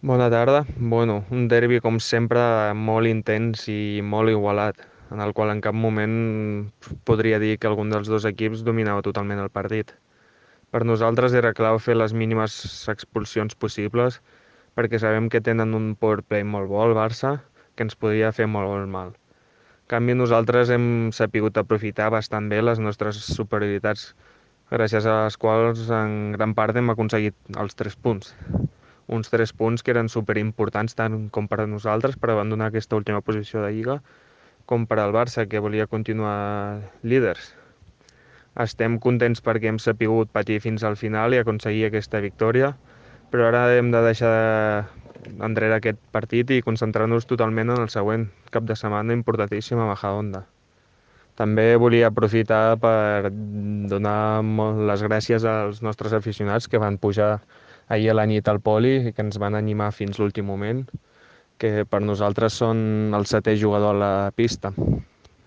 Bona tarda. Bueno, un derbi com sempre molt intens i molt igualat, en el qual en cap moment podria dir que algun dels dos equips dominava totalment el partit. Per nosaltres era clau fer les mínimes expulsions possibles perquè sabem que tenen un power play molt bo el Barça que ens podia fer molt mal. En canvi, nosaltres hem sapigut aprofitar bastant bé les nostres superioritats, gràcies a les quals en gran part hem aconseguit els 3 punts. Uns 3 punts que eren superimportants tant com per a nosaltres per abandonar aquesta última posició de Lliga com per al Barça, que volia continuar líders. Estem contents perquè hem sapigut patir fins al final i aconseguir aquesta victòria, però ara hem de deixar enrere aquest partit i concentrar-nos totalment en el següent cap de setmana importantíssim a Majadahonda. També volia aprofitar per donar les gràcies als nostres aficionats que van pujar ahir a la nit al poli i que ens van animar fins l'últim moment, que per nosaltres són el setè jugador a la pista.